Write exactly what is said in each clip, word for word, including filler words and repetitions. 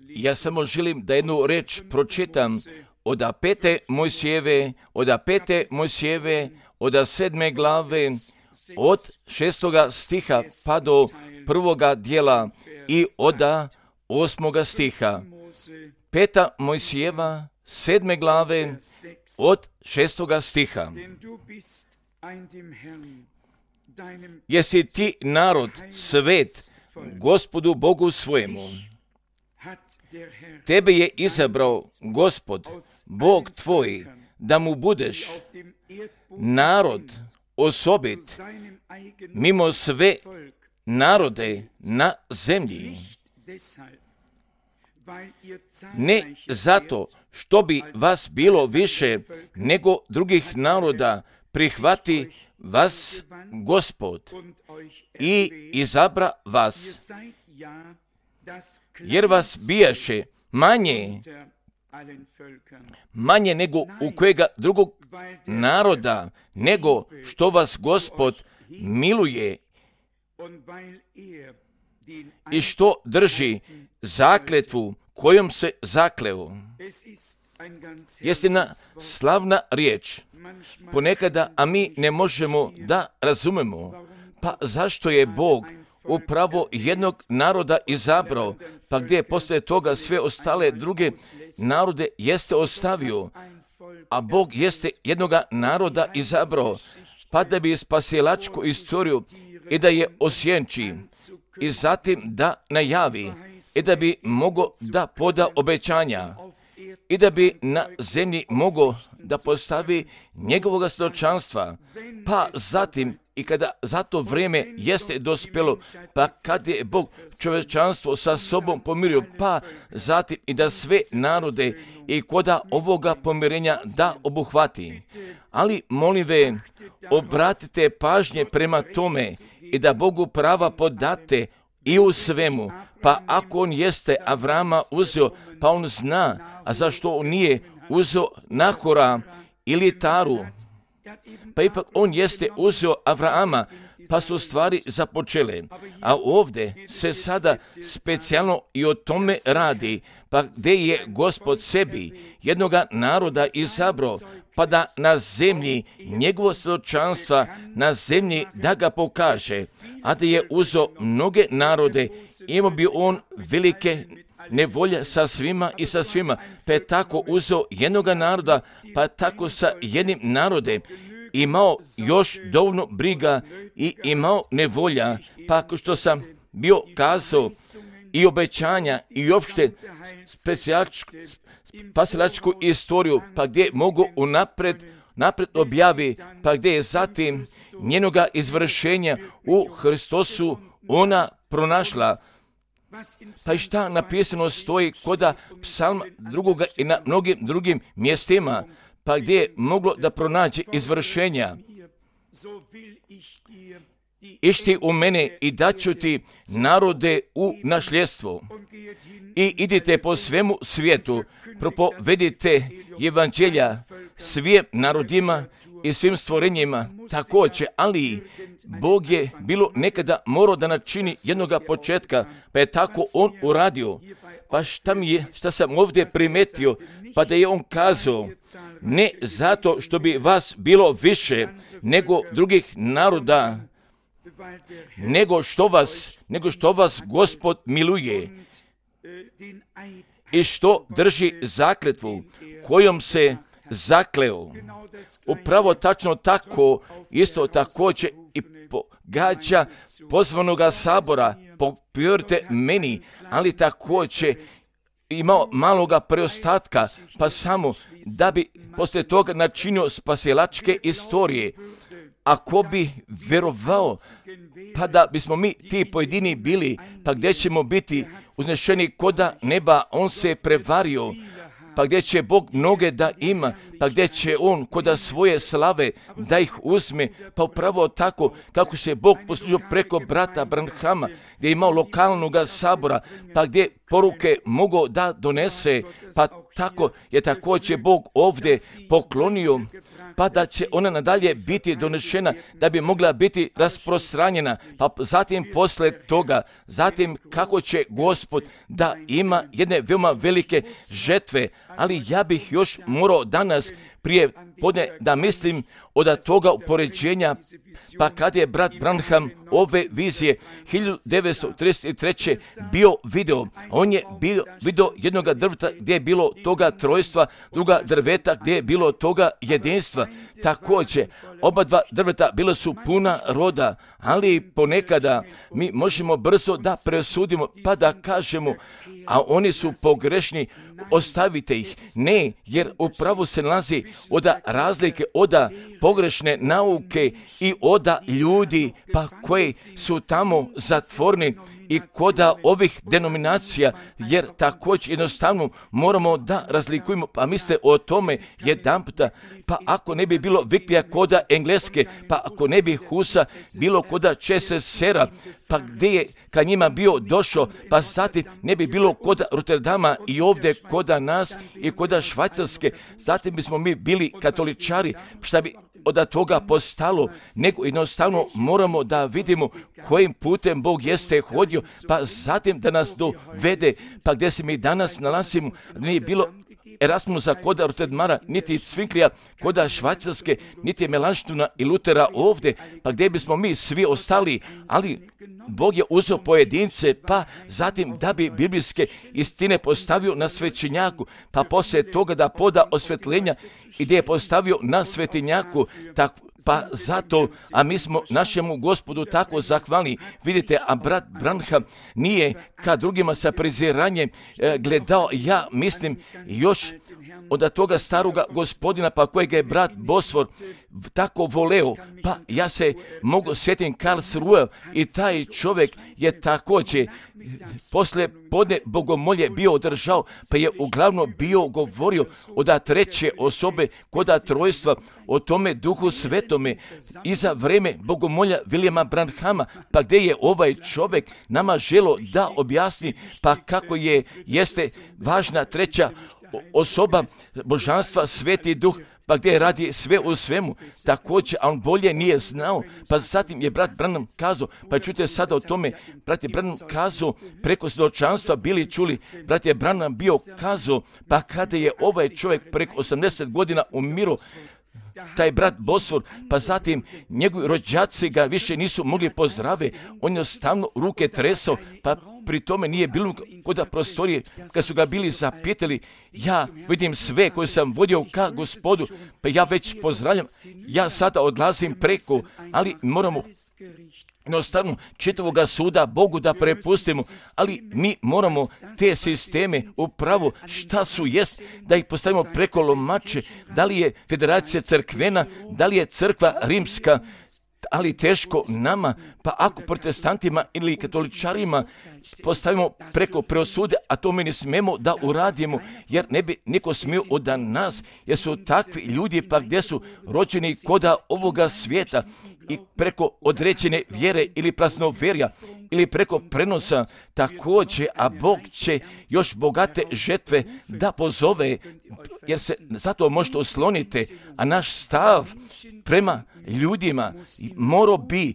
Ja samo želim da jednu reč pročitam od pete Mojsijeve, od pete Mojsijeve, od sedme glave, od šestoga stiha pa do prvoga dijela i od osmoga stiha. Peta Mojsijeva, sedme glave, od šestoga stiha. Jesi ti narod svet Gospodu Bogu svojemu. Tebe je izabrao Gospod, Bog tvoj, da mu budeš narod osobit mimo sve narode na zemlji. Ne zato što bi vas bilo više nego drugih naroda, prihvati vas Gospod i izabra vas, jer vas bijaše manje, manje nego u kojega drugog naroda, nego što vas Gospod miluje i što drži zakletvu kojom se zakleo. Jeste na slavna riječ, ponekada, a mi ne možemo da razumemo, pa zašto je Bog upravo jednog naroda izabrao, pa gdje je poslije toga sve ostale druge narode jeste ostavio, a Bog jeste jednoga naroda izabrao, pa da bi spasilačku istoriju i da je osjenči i zatim da najavi i da bi mogo da poda obećanja i da bi na zemlji mogo da postavi njegovog svjedočanstva, pa zatim i kada za to vrijeme jeste dospjelo, pa kad je Bog čovječanstvo sa sobom pomirio, pa zatim i da sve narode i koda ovoga pomirenja da obuhvati. Ali molim ve, obratite pažnje prema tome i da Bogu prava podate i u svemu, pa ako on jeste Avrama uzeo, pa on zna, a zašto on nije uzeo Nahora ili Taru, pa ipak on jeste uzeo Avrama, pa su stvari započele. A ovdje se sada specijalno i o tome radi, pa gdje je Gospod sebi jednoga naroda izabrao, pa da na zemlji njegovo svjedočanstva na zemlji da ga pokaže, a da je uzeo mnoge narode, imao bi on velike nevolje sa svima i sa svima, pa je tako uzeo jednoga naroda, pa tako sa jednim narodem imao još dovoljno briga i imao nevolja, pa ako što sam bio kazao i obećanja i uopšte spasilačku istoriju, pa gdje mogu unapred napred objavi, pa gdje je zatim njenoga izvršenja u Hristosu ona pronašla. Pa i šta napisano stoji koda psalma drugoga i na mnogim drugim mjestima, pa gdje je moglo da pronađe izvršenja. Išti u mene i daću ti narode u nasljedstvo. I idite po svemu svijetu, propovedite evanđelja svim narodima i svim stvorenjima također, ali Bog je bilo nekada morao da načini jednoga početka, pa je tako on uradio. Pa šta mi je, šta sam ovdje primetio, pa da je on kazao, ne zato što bi vas bilo više nego drugih naroda, nego što vas, nego što vas Gospod miluje i što drži zakletvu kojom se zakleo. Upravo tačno tako, isto također i pogađa pozvanoga sabora, povjerujte meni, ali također imao maloga preostatka, pa samo da bi poslije toga načinio spasilačke istorije. Ako bi vjerovao, pa da bismo mi ti pojedini bili, pa gdje ćemo biti uznešeni koda neba, on se prevario, pa gdje će Bog mnoge da ima, pa gdje će on koda svoje slave da ih uzme, pa upravo tako kako se Bog poslužio preko brata Branhama, gdje je imao lokalnog sabora, pa gdje poruke mogu da donese, pa tako je također Bog ovdje poklonio, pa da će ona nadalje biti donešena, da bi mogla biti rasprostranjena, pa zatim posle toga, zatim kako će Gospod da ima jedne veoma velike žetve, ali ja bih još morao danas prije podne da mislim od toga upoređenja, pa kad je brat Branham ove vizije hiljadu devetsto trideset treće bio video, on je bio video jednoga drveta gdje je bilo toga trojstva, druga drveta gdje je bilo toga jedinstva. Također, oba dva drveta bila su puna roda, ali ponekada mi možemo brzo da presudimo pa da kažemo, a oni su pogrešni, ostavite ih. Ne, jer upravo se nalazi od razlike, od pogrešne nauke i od ljudi pa koji su tamo zatvorni i koda ovih denominacija, jer također jednostavno moramo da razlikujemo, pa misle o tome jedanputa, pa ako ne bi bilo Viklija koda Engleske, pa ako ne bi Husa bilo koda Česesera, pa gdje je ka njima bio došao, pa zatim ne bi bilo koda Rotterdama i ovdje koda nas i koda Švajcarske, zatim bismo mi bili katoličari, šta bi od toga postalo, nego jednostavno moramo da vidimo kojim putem Bog jeste hodio, pa zatim da nas dovede, pa gdje se mi danas nalazimo, nije bilo Erasmusa koda Rotterdama, niti Cvinklija koda Švajcarske, niti Melanštuna i Lutera ovdje, pa gdje bismo mi svi ostali, ali Bog je uzeo pojedince, pa zatim da bi biblijske istine postavio na svećenjaku, pa poslije toga da poda osvetljenja i gdje je postavio na svetinjaku, tako pa zato, a mi smo našemu Gospodu tako zahvalni. Vidite, a brat Branham nije ka drugima sa preziranjem e, gledao, ja mislim, još od toga staroga gospodina, pa kojega je brat Bosfor tako voleo, pa ja se mogu sjetim Karlsruhe i taj čovjek je također posle podne bogomolje bio održao, pa je uglavnom bio govorio od treće osobe koda trojstva, o tome Duhu Svetome i za vreme bogomolja Vilijama Branhama, pa gdje je ovaj čovjek nama želo da objasni pa kako je jeste važna treća osoba božanstva, Sveti Duh, pa gdje radi sve u svemu, također, a on bolje nije znao, pa zatim je brat Branham kazao, pa čujte sada o tome, brat je Branham kazao, preko svjedočanstva bili čuli, brat je Branham bio kazao, pa kada je ovaj čovjek preko osamdeset godina umiru, taj brat Bosfor, pa zatim njegovi rođaci ga više nisu mogli pozdrave, on je ostavno ruke tresao, pa pri tome nije bilo koda prostorije, kad su ga bili zapitali, ja vidim sve koje sam vodio ka Gospodu, pa ja već pozdravljam, ja sada odlazim preko, ali moramo jednostavno čitavoga suda Bogu da prepustimo, ali mi moramo te sisteme upravo šta su jest, da ih postavimo preko lomače, da li je federacija crkvena, da li je crkva rimska, ali teško nama, pa ako protestantima ili katoličarima postavimo preko preosude, a to mi ne smemo da uradimo, jer ne bi niko smio od nas, jer su takvi ljudi pa gdje su rođeni koda ovoga svijeta i preko određene vjere ili praznoverja ili preko prenosa također, a Bog će još bogate žetve da pozove, jer se zato možete osloniti, a naš stav prema ljudima mora bi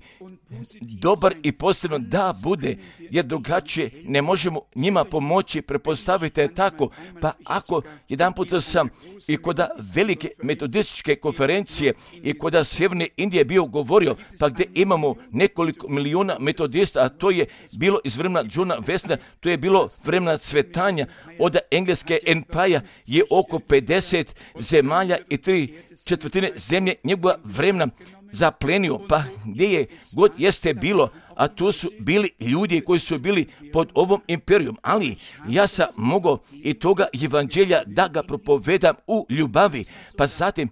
dobar i pozitivno da bude, jer drugačije ne možemo njima pomoći, prepostavite tako, pa ako jedan put sam i koda velike metodističke konferencije i koda Sjeverne Indije bio govorio, pa gdje imamo nekoliko milijuna metodista, a to je bilo iz vremena Johna Wesleya, to je bilo vremena cvetanja, od engleske empire je oko pedeset zemalja i tri četvrtine zemlje njegova vremena zaplenio, pa gdje je god jeste bilo, a tu su bili ljudi koji su bili pod ovom imperijom, ali ja sam mogao i toga evanđelja da ga propovedam u ljubavi, pa zatim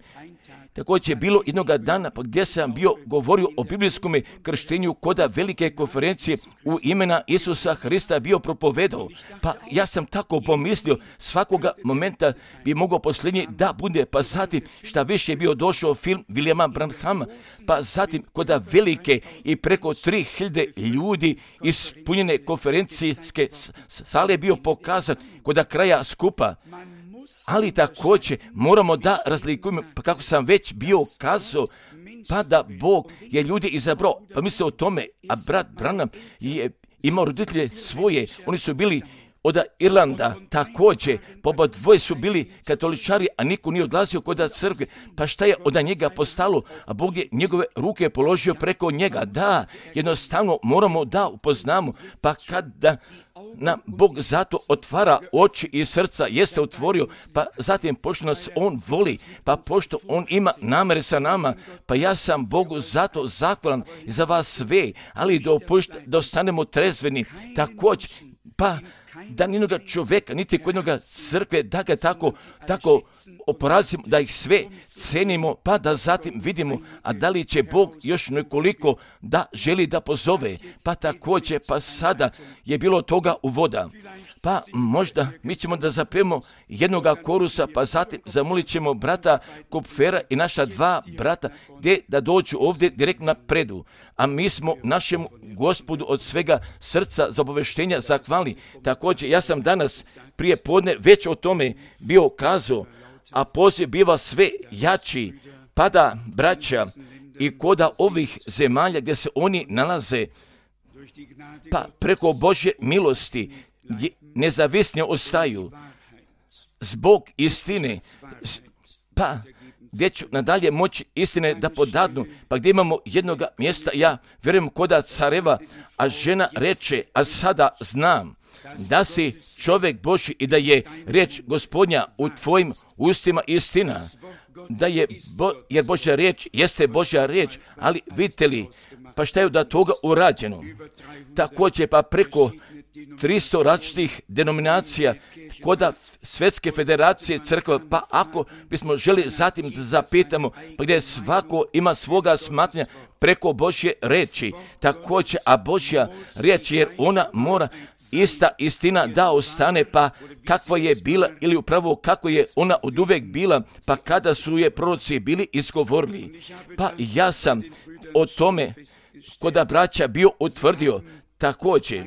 također je bilo jednoga dana pa gdje sam bio govorio o biblijskom krštenju koda velike konferencije u imena Isusa Hrista bio propovedao. Pa ja sam tako pomislio, svakoga momenta bi mogao posljednji da bude, pa zatim šta više je bio došao film Vilijama Branhama, pa zatim koda velike i preko tri hiljade ljudi ispunjene konferencijske sale bio pokazan koda kraja skupa. ali također moramo da razlikujemo, pa kako sam već bio kazao, pa da Bog je ljudi izabrao, pa misle o tome, a brat Branham je imao roditelje svoje, oni su bili od Irlanda, također, po dvoje su bili katoličari, a niko nije odlazio kod crkve, pa šta je od njega postalo, a Bog je njegove ruke položio preko njega. Da, jednostavno moramo da upoznamo, pa kada nam Bog zato otvara oči i srca, jeste otvorio, pa zatim pošto nas On voli, pa pošto On ima namere sa nama, pa ja sam Bogu zato zahvalan za vas sve, ali dopušta da ostanemo trezveni, također, pa da nijednoga čovjeka, niti kod jednoga crkve, da ga tako, tako oporazimo, da ih sve cenimo, pa da zatim vidimo, a da li će Bog još nekoliko da želi da pozove, pa također, pa sada je bilo toga uvoda. Pa možda mi ćemo da zapijemo jednoga korusa, pa zatim zamolit ćemo brata Kupfera i naša dva brata gdje da dođu ovdje direktno na predu. A mi smo našem Gospodu od svega srca za obaveštenja zahvalni. Također, ja sam danas prije podne već o tome bio kazao, a poziv biva sve jači, pada braća i koda ovih zemalja gdje se oni nalaze, pa preko Božje milosti nezavisnije ostaju zbog istine, pa gdje ću nadalje moći istine da podadnu, pa gdje imamo jednoga mjesta, ja vjerujem koda careva, a žena reče, a sada znam da si čovjek Božji i da je riječ Gospodnja u tvojim ustima istina, da je, Bo, jer Božja riječ jeste Božja riječ, ali vidite li, pa šta je da toga urađeno? Također pa preko tristo različitih denominacija koda Svjetske federacije crkva, pa ako bismo želi zatim da zapitamo, pa gdje svako ima svoga smatranja preko Božje riječi, također, a Božja riječ, jer ona mora ista istina da ostane, pa kakva je bila ili upravo kako je ona od uvek bila, pa kada su je proroci bili izgovorili. Pa ja sam o tome koda braća bio utvrdio također,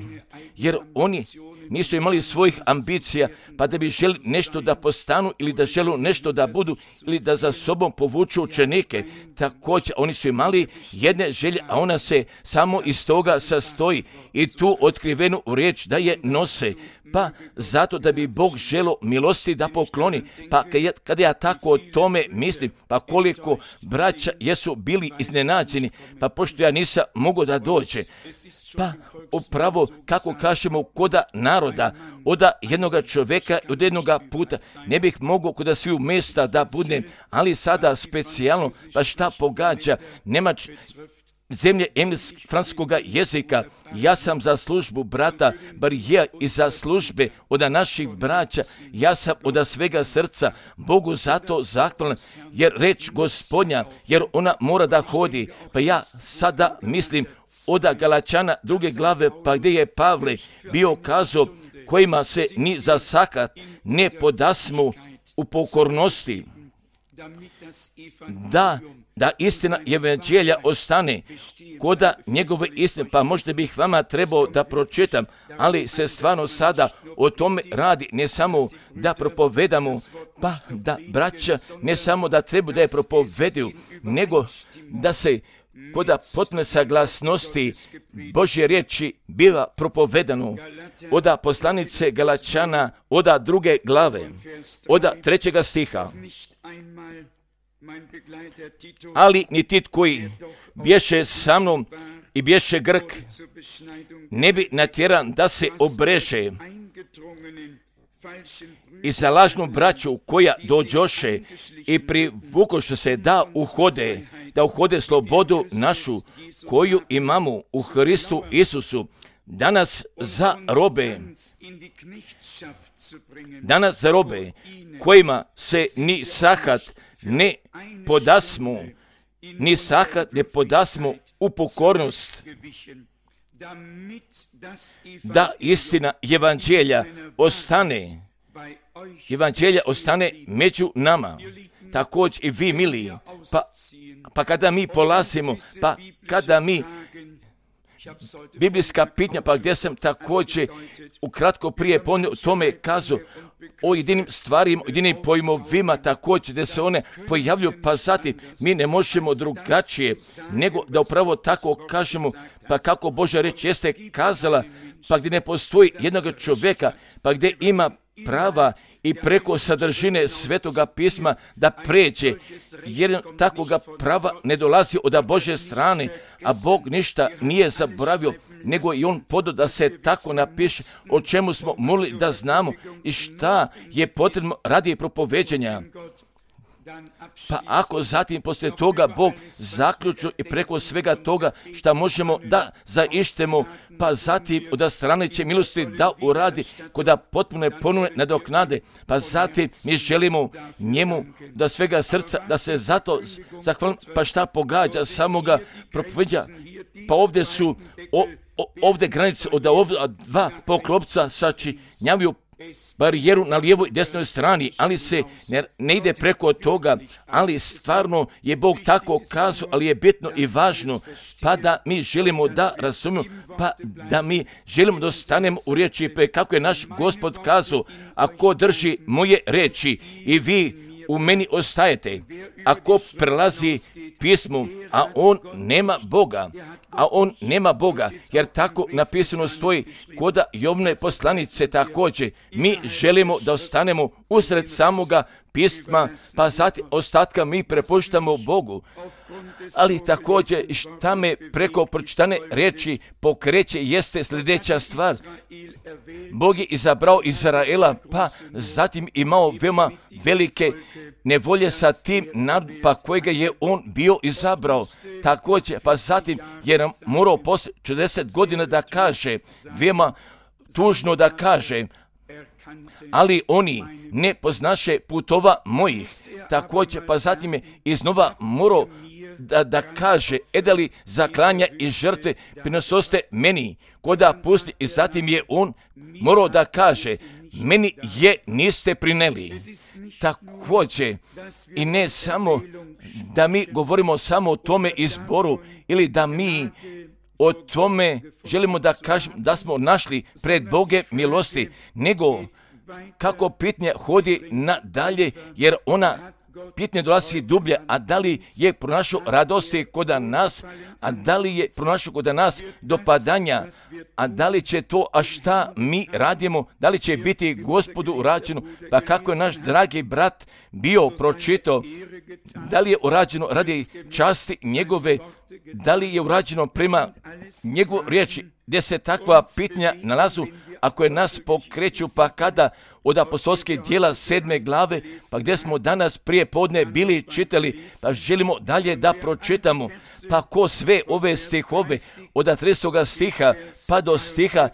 jer oni nisu imali svojih ambicija, pa da bi želi nešto da postanu ili da želu nešto da budu ili da za sobom povuču učenike. Također, oni su imali jedne želje, a ona se samo iz toga sastoji i tu otkrivenu riječ da je nose. Pa zato da bi Bog želo milosti da pokloni, pa kada ja tako o tome mislim, pa koliko braća jesu bili iznenađeni, pa pošto ja nisam mogao da dođe, pa upravo kako kažemo koda naroda, od jednoga čovjeka, od jednoga puta, ne bih mogao koda sviju mjesta da budem, ali sada specijalno, pa šta pogađa, Nemač, zemlje francuskoga jezika, ja sam za službu brata Barija i za službe od naših braća, ja sam od svega srca Bogu zato zahvalan, jer reč Gospodnja, jer ona mora da hodi, pa ja sada mislim od Galačana druge glave, pa gdje je Pavle bio kazao, kojima se ni za sakat ne podasmu u pokornosti, da da istina evanđelja ostane koda njegove istine, pa možda bih vama trebao da pročitam, ali se stvarno sada o tome radi, ne samo da propovedamo, pa da braća ne samo da treba da je propoveduju, nego da se koda potpune saglasnosti Božje riječi biva propovedano oda poslanice Galačana, oda druge glave, oda trećega stiha. Ali ni Tit koji bješe sa mnom i bješe Grk, ne bi natjeran da se obreže i za lažnu braću koja dođoše i privukoše se da uhode, da uhode slobodu našu koju imamo u Hristu Isusu, danas za robe, danas za robe kojima se ni sahat ne podasmu, ni sahat ne podasmu u pokornost, da istina evanđelja ostane, evanđelja ostane među nama. Također i vi, mili, pa, pa kada mi polazimo, pa kada mi biblijska pitanja, pa gdje sam također ukratko prije ponio tome kazao o jedinim stvarima, o jedinim pojmovima također gdje se one pojavljuju, pa zatim mi ne možemo drugačije nego da upravo tako kažemo, pa kako Božja riječ jeste kazala, pa gdje ne postoji jednog čovjeka, pa gdje ima prava i preko sadržine Svetoga pisma da pređe, jer takvoga prava ne dolazi od Božje strane, a Bog ništa nije zaboravio, nego i On podao da se tako napiše o čemu smo molili da znamo i šta je potrebno radi propoveđenja. Pa ako zatim poslije toga Bog zaključno i preko svega toga šta možemo da zaištemo, pa zatim od strane će milosti da uradi kod da potpune ponovne nadoknade, pa zatim mi želimo njemu da svega srca da se zato zahvalim, pa šta pogađa samoga propoveđa, pa ovdje su o, o, ovdje granice od ovdje dva poklopca sačinjavaju barijeru na lijevoj i desnoj strani, ali se ne, ne ide preko toga, ali stvarno je Bog tako kazao, ali je bitno i važno, pa da mi želimo da razumijemo, pa da mi želimo da ostanemo u riječi, pa kako je naš Gospod kazao, ako drži moje riječi i vi u meni ostajete, ako prelazi pismu, a on nema Boga, a on nema Boga, jer tako napisano stoji koda Jovne poslanice također, mi želimo da ostanemo usred samoga pisma, pa zatim ostatka mi prepuštamo Bogu. Ali također šta me preko pročitane riječi pokreće jeste sljedeća stvar. Bog je izabrao Izraela, pa zatim imao veoma velike nevolje sa tim narodom, pa kojega je on bio izabrao. Također, pa zatim je nam morao poslije četrdeset godina da kaže, veoma tužno da kaže, ali oni ne poznaše putova mojih. Također, pa zatim je iznova morao da, da kaže, edali zaklanja i žrtve prinososte meni, koda pusti, i zatim je on morao da kaže, meni je niste prineli. Također, i ne samo da mi govorimo samo o tome izboru, ili da mi o tome želimo da kažemo da smo našli pred Boge milosti, nego kako pitanje hodi nadalje, jer ona pitanje dolazi dublje, a da li je pronašao radosti kod nas, a da li je pronašao kod nas dopadanja, a da li će to, a šta mi radimo, da li će biti Gospodu urađeno, pa kako je naš dragi brat bio pročitao, da li je urađeno radi časti njegove, da li je urađeno prema njegovu riječi, gdje se takva pitanja nalazu, ako je nas pokreću, pa kada od apostolske dijela sedme glave, pa gdje smo danas prije podne bili čitali, pa želimo dalje da pročitamo, pa ko sve ove stihove od tridesetog stiha pa do stiha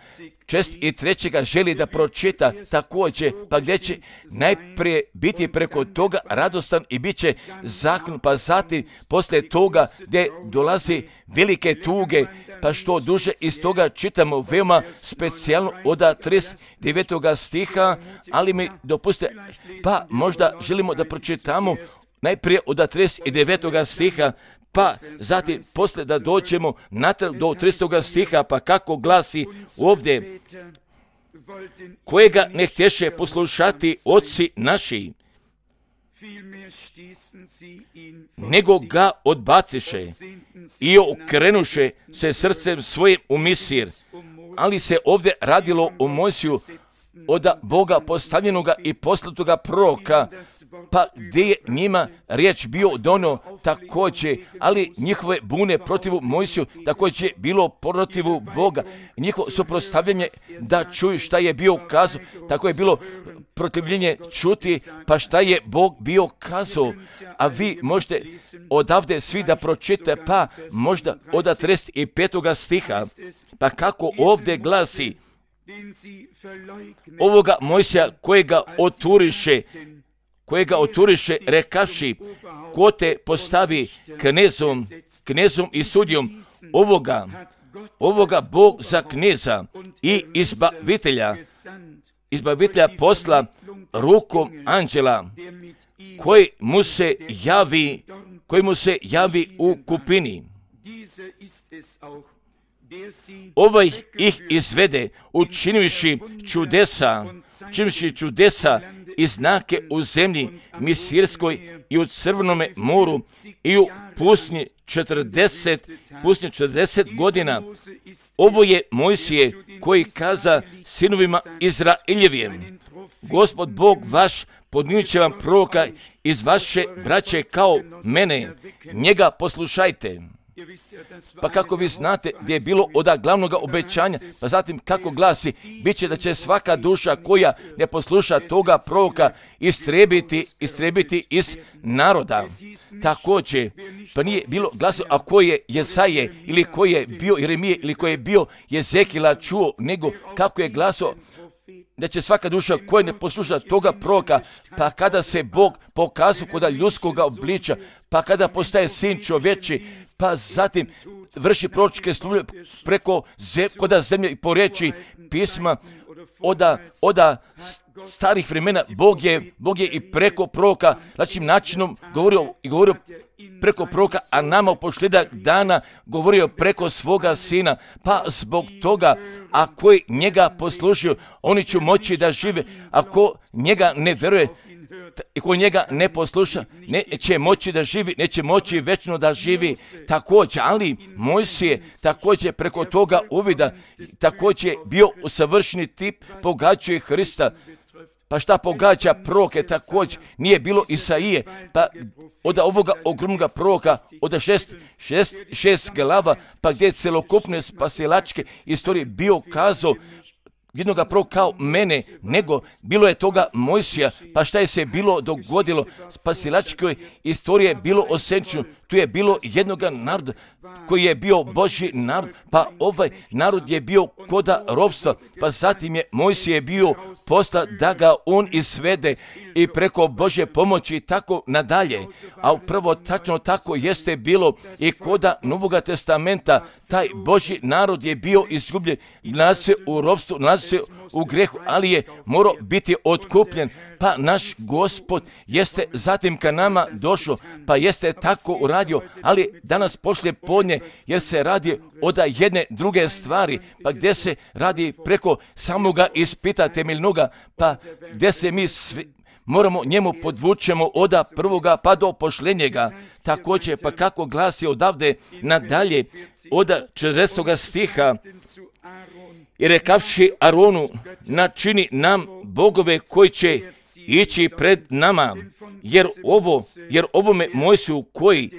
čest i trećega želi da pročita također, pa gdje će najprije biti preko toga radostan i bit će zakon, pa zatim poslije toga gdje dolazi velike tuge, pa što duže iz toga čitamo veoma specijalno od trideset devetog stiha, ali mi dopustite, pa možda želimo da pročitamo najprije od trideset devetog stiha, pa zatim poslije da dođemo natrag do tridesetog stiha, pa kako glasi ovdje, kojega ne htješe poslušati oci naši, nego ga odbaciše i okrenuše se srcem svojim u Misir. Ali se ovdje radilo o Mojsiju, od Boga postavljenoga i poslatoga proroka, pa gdje je njima riječ bio dono također, ali njihove bune protivu Mojsiju također bilo protivu Boga. Njihovo suprotstavljanje da čuju šta je bio kazao, tako je bilo protivljenje čuti, pa šta je Bog bio kazao. A vi možete odavde svi da pročite, pa možda od trideset petog stiha, pa kako ovdje glasi, ovoga Mojsija kojega oturiše, kojega oturiše rekaši, ko te postavi knezom, knezom i sudijom, ovoga, ovoga Bog za kneza i izbavitelja, izbavitelja posla rukom anđela, koji mu se javi, koji mu se javi u kupini. ovaj ih izvede, učinivši čudesa, učinivši čudesa i znake u zemlji Misirskoj i u Crvenome moru i u pustinji četrdeset, pustinji četrdeset godina. Ovo je Mojsije koji kaza sinovima Izraeljevim: Gospod Bog vaš podnijit će vam proroka iz vaše braće kao mene, njega poslušajte. Pa kako vi znate gdje je bilo od glavnog obećanja, pa zatim kako glasi, bit će da će svaka duša koja ne posluša toga proroka istrebiti, istrebiti iz naroda. Također, pa nije bilo glaso, a ko je Jesaje ili ko je bio Jeremije ili ko je bio Jezekila čuo, nego kako je glaso da će svaka duša koja ne posluša toga proroka, pa kada se Bog pokazao kod ljudskog obliča, pa kada postaje sin čovječi, pa zatim vrši proročke službe preko zem, koda zemlje i po riječi pisma oda, oda starih vremena. Bog je, Bog je i preko proroka način načinom govorio i govorio preko proroka, a nama u posljedak dana govorio preko svoga sina. Pa zbog toga, ako njega poslušaju, oni će moći da žive. Ako njega ne vjeruje i ko njega ne posluša, neće moći da živi, neće moći večno da živi. Također, ali Mojsije također preko toga uvida, također bio savršeni tip, pogađuje Hrista. Pa šta pogađa proroke također? Nije bilo Isaije, pa od ovoga ogromnog proroka, od šest, šest, šest glava, pa gdje je celokupne spasilačke istorije bio kazao jednoga proroka kao mene, nego bilo je toga Mojsija, pa šta je se bilo dogodilo? Spasilačkoj istorije je bilo osenčeno, tu je bilo jednoga naroda koji je bio Božji narod, pa ovaj narod je bio koda ropstva, pa zatim je Mojsije bio posta da ga on izvede i preko Božje pomoći tako nadalje. A upravo tačno tako jeste bilo i koda Novoga testamenta. Taj Božji narod je bio izgubljen, nalazi se u ropstvu, nalazi se u grehu, ali je morao biti otkupljen. Pa naš Gospod jeste zatim ka nama došao, pa jeste tako uradio, ali danas poslije podne, jer se radi od jedne druge stvari, pa gdje se radi preko samoga ispita temeljnoga, pa gdje se mi svi moramo njemu podvučemo od prvoga pa do posljednjega. Također, pa kako glasi odavde nadalje, od četrdesetog stiha, i rekavši Aronu, načini nam bogove koji će ići pred nama, jer ovo, jer ovome Mojsiju koji,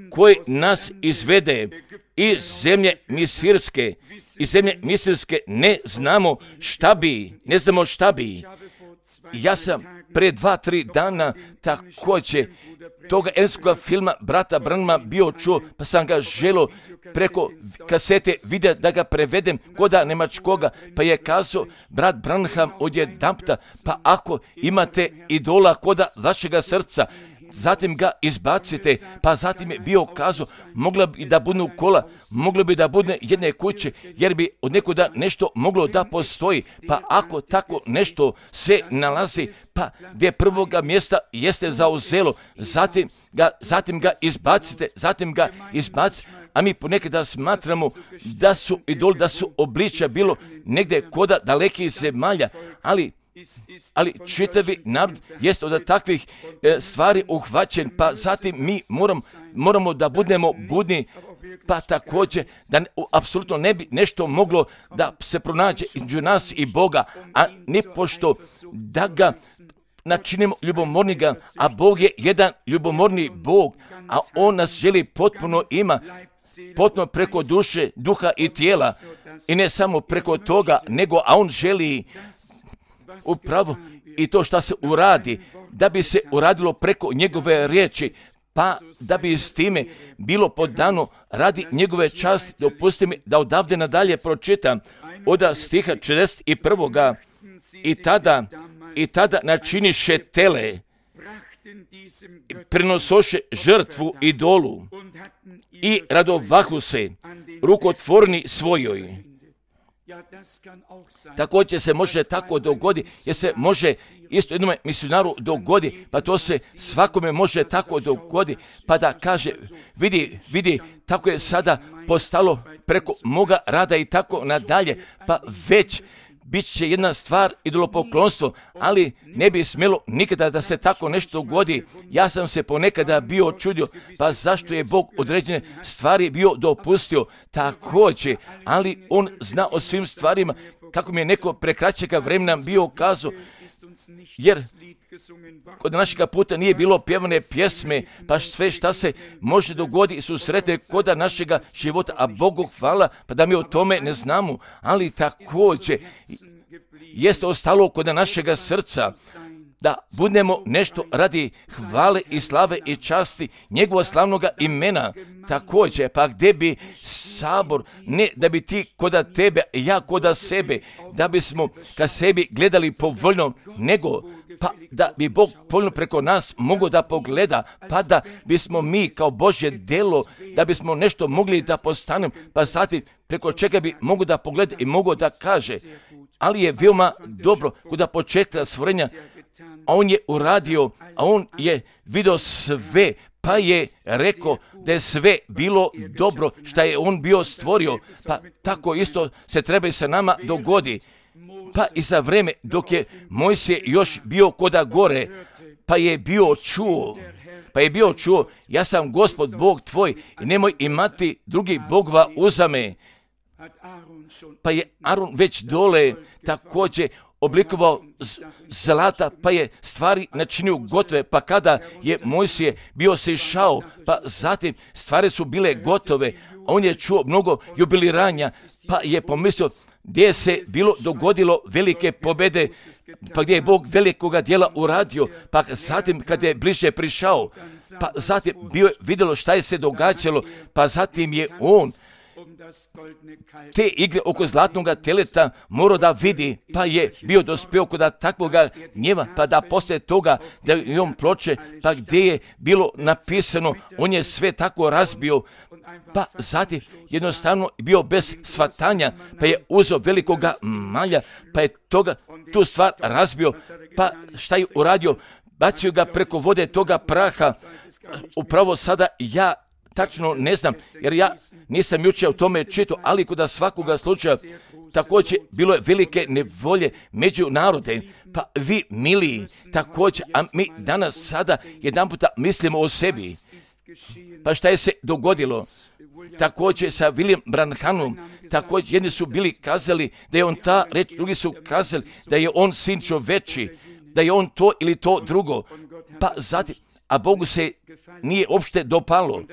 koji nas izvede iz zemlje Misirske, iz zemlje Misirske ne znamo šta bi, ne znamo šta bi. Ja sam pre dva, tri dana također toga engleskog filma brata Branhama bio čuo, pa sam ga želio preko kasete vidjeti da ga prevedem koda nemačkoga, pa je kazao brat Branham odjedanputa, pa ako imate idola koda vašega srca, zatim ga izbacite, pa zatim je bio kazao, mogla bi da budu kola, moglo bi da bude jedne kuće, jer bi od nekuda nešto moglo da postoji, pa ako tako nešto se nalazi, pa gdje prvoga mjesta jeste zauzelo, zatim ga, zatim ga izbacite, zatim ga izbacite, a mi ponekada smatramo da su idoli, da su obličja bilo negdje koda dalekih zemalja, ali ali čitavi narod jest od takvih e, stvari uhvaćen, pa zatim mi moram, moramo da budemo budni, pa također da ne, apsolutno ne bi nešto moglo da se pronađe između nas i Boga, a ni pošto da ga načinimo ljubomorniga, a Bog je jedan ljubomorni Bog, a On nas želi potpuno ima, potpuno preko duše, duha i tijela, i ne samo preko toga, nego a On želi upravo i to što se uradi, da bi se uradilo preko njegove riječi, pa da bi s time bilo podano radi njegove časti. Dopustite mi da odavde nadalje pročitam od stiha četrdeset prvog. I tada, i tada načiniše tele, prenosoše žrtvu idolu i radovahu se rukotvorni svojoj. Također se može tako dogoditi, jer se može isto jednom misionaru dogodi, pa to se svakome može tako dogodi, pa da kaže, vidi, vidi, tako je sada postalo preko moga rada i tako nadalje, pa već bit će jedna stvar idolopoklonstvo, ali ne bi smjelo nikada da se tako nešto dogodi. Ja sam se ponekada bio čudio, pa zašto je Bog određene stvari bio dopustio također, ali On zna o svim stvarima, kako mi je neko prekraćega vremena bio kazao, jer kod našega puta nije bilo pjevane pjesme, pa sve šta se može dogoditi su sretne koda našega života, a Bogu hvala, pa da mi o tome ne znamo, ali također jeste ostalo kod našega srca, da budemo nešto radi hvale i slave i časti njegova slavnoga imena. Također, pa gdje bi sabor, ne da bi ti koda tebe, ja koda sebe, da bismo ka sebi gledali povoljno, nego pa da bi Bog povoljno preko nas mogao da pogleda, pa da bismo mi kao Božje delo, da bismo nešto mogli da postanemo, pa zatim preko čega bi mogo da pogleda i mogo da kaže. Ali je veoma dobro kod početka stvorenja, a on je uradio, a on je vidio sve, pa je rekao da je sve bilo dobro što je on bio stvorio, pa tako isto se treba i sa nama dogodi. Pa i za vreme dok je Mojsije još bio koda gore, pa je bio čuo, pa je bio čuo, ja sam Gospod Bog tvoj i nemoj imati drugi bogova uzame. Pa je Aron već dole također oblikovao zlata, pa je stvari načinio gotove, pa kada je Mojsije bio se išao, pa zatim stvari su bile gotove, a on je čuo mnogo jubiliranja, pa je pomislio gdje se bilo dogodilo velike pobjede, pa gdje je Bog velikoga djela uradio, pa zatim kad je bliže prišao, pa zatim bio vidjelo šta je se događalo, pa zatim je on te igre oko zlatnog teleta morao da vidi, pa je bio dospio kod takvoga gnjeva, pa da poslije toga da je on ploče, pa gdje je bilo napisano, on je sve tako razbio, pa zatim jednostavno bio bez shvatanja, pa je uzeo velikoga malja, pa je toga, tu stvar razbio, pa šta je uradio, bacio ga preko vode toga praha. Upravo sada ja tačno ne znam, jer ja nisam jučer o tome čitao, ali kod svakoga slučaja također bilo je velike nevolje među narode, pa vi miliji također, a mi danas sada jedan puta mislimo o sebi. Pa šta je se dogodilo? Također sa William Branhamom, također jedni su bili kazali da je on ta reč, drugi su kazali da je on sin čoveči, da je on to ili to drugo, pa zatim, a Bogu se nije uopšte dopalo.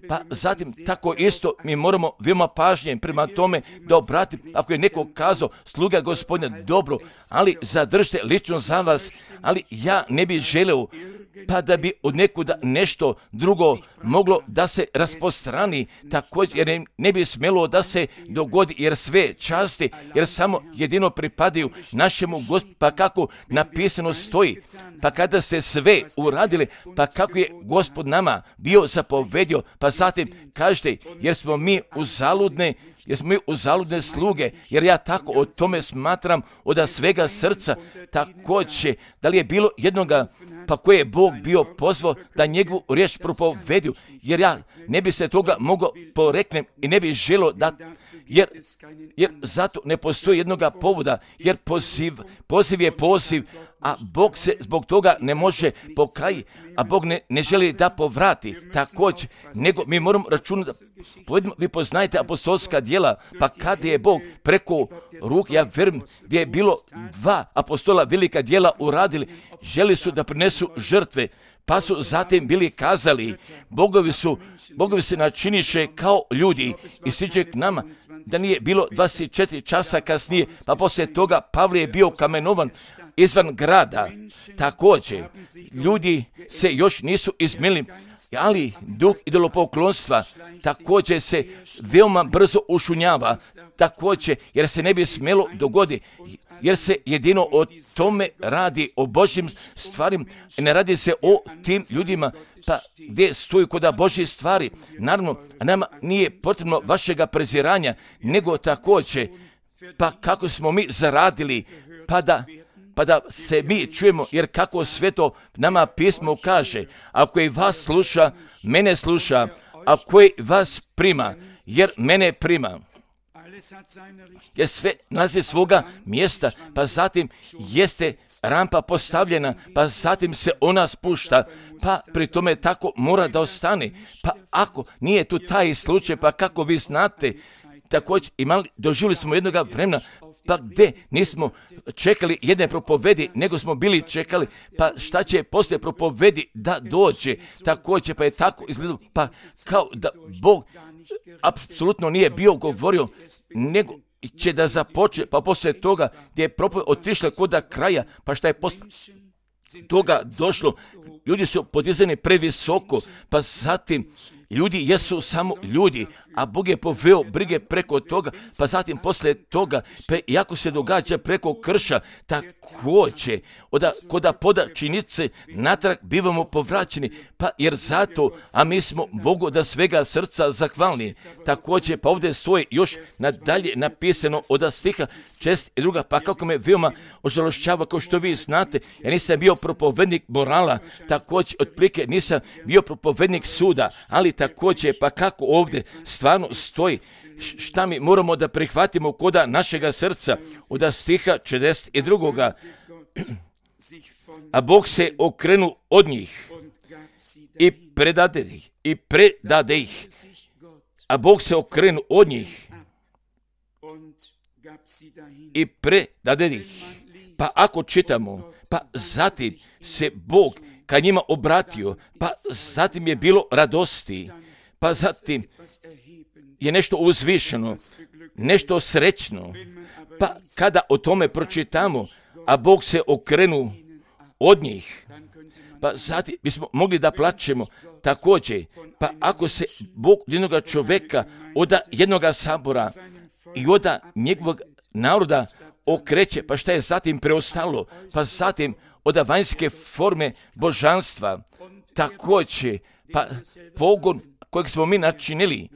Pa zatim tako isto mi moramo veoma pažnje prema tome da obratimo, ako je neko kazao sluga Gospodina dobro, ali zadržite lično za vas, ali ja ne bih želeo pa da bi od nekuda nešto drugo moglo da se raspostrani, također jer ne bi smjelo da se dogodi, jer sve časti, jer samo jedino pripadaju našemu Gospodu, pa kako napisano stoji, pa kada se sve uradili, pa kako je Gospod nama bio zapovedio, pa zatim kažete, jer smo mi uzaludne, jer smo mi uzaludne sluge, jer ja tako o tome smatram od svega srca, također, da li je bilo jednoga pa koje je Bog bio pozvao da njegovu riječ propovedu, jer ja ne bi se toga mogao poreknem i ne bi želio da, jer, jer zato ne postoji jednoga povoda, jer poziv, poziv je poziv, a Bog se zbog toga ne može pokajiti, a Bog ne, ne želi da povrati također, nego mi moramo računati, povedimo, vi poznajete apostolska djela, pa kada je Bog preko ruk, ja vjerujem, gdje je bilo dva apostola velika djela uradili, želi su da prinesu žrtve, pa su zatim bili kazali, bogovi su, bogovi se načiniše kao ljudi i siđe k nama, da nije bilo dvadeset četiri časa kasnije, pa poslije toga Pavle je bio kamenovan izvan grada. Također, ljudi se još nisu izmili, ali duh idolopoklonstva također se veoma brzo ušunjava, također, jer se ne bi smjelo dogoditi, jer se jedino o tome radi, o Božjim stvarima, ne radi se o tim ljudima, pa gdje stoji kod Božje stvari. Naravno, nama nije potrebno vašega preziranja, nego također, pa kako smo mi zaradili, pa da pa da se mi čujemo, jer kako sve to nama pismo kaže, ako i vas sluša, mene sluša, ako i vas prima, jer mene prima. Jer sve nalazi svoga mjesta, pa zatim jeste rampa postavljena, pa zatim se ona spušta, pa pri tome tako mora da ostane. Pa ako nije tu taj slučaj, pa kako vi znate, također imali, doživjeli smo jednoga vremena, pa gdje nismo čekali jedne propovedi, nego smo bili čekali, pa šta će poslije propovedi da dođe, također pa je tako izgledalo, pa kao da Bog apsolutno nije bio govorio, nego će da započne, pa poslije toga gdje je propoved otišla kod kraja, pa šta je poslije toga došlo, ljudi su podizani previsoko, pa zatim ljudi jesu samo ljudi, a Bog je poveo brige preko toga, pa zatim poslije toga, pa iako se događa preko krša, također, oda, koda poda činice, natrag bivamo povraćeni, pa jer zato, a mi smo Bogu da svega srca zahvalni. Također, pa ovdje stoji još nadalje napisano od stiha šest i druga, pa kako me veoma ožalošćava, kao što vi znate, ja nisam bio propovednik morala, također, otprilike nisam bio propovednik suda, ali također, pa kako ovdje stvarno stoji, šta mi moramo da prihvatimo koda našega srca, od stiha šezdeset druga. A Bog se okrenu od njih i predade ih, i predade ih. A Bog se okrenu od njih i predade ih. Pa ako čitamo, pa zatim se Bog kad njima obratio, pa zatim je bilo radosti, pa zatim je nešto uzvišeno, nešto srećno. Pa kada o tome pročitamo, a Bog se okrenu od njih, pa zatim bismo mogli da plačemo također. Pa ako se Bog jednoga čovjeka, od jednoga sabora i od njegovog naroda okreće, pa šta je zatim preostalo? Pa zatim od vanjske forme božanstva, također, pa pogon kojeg smo mi načinili,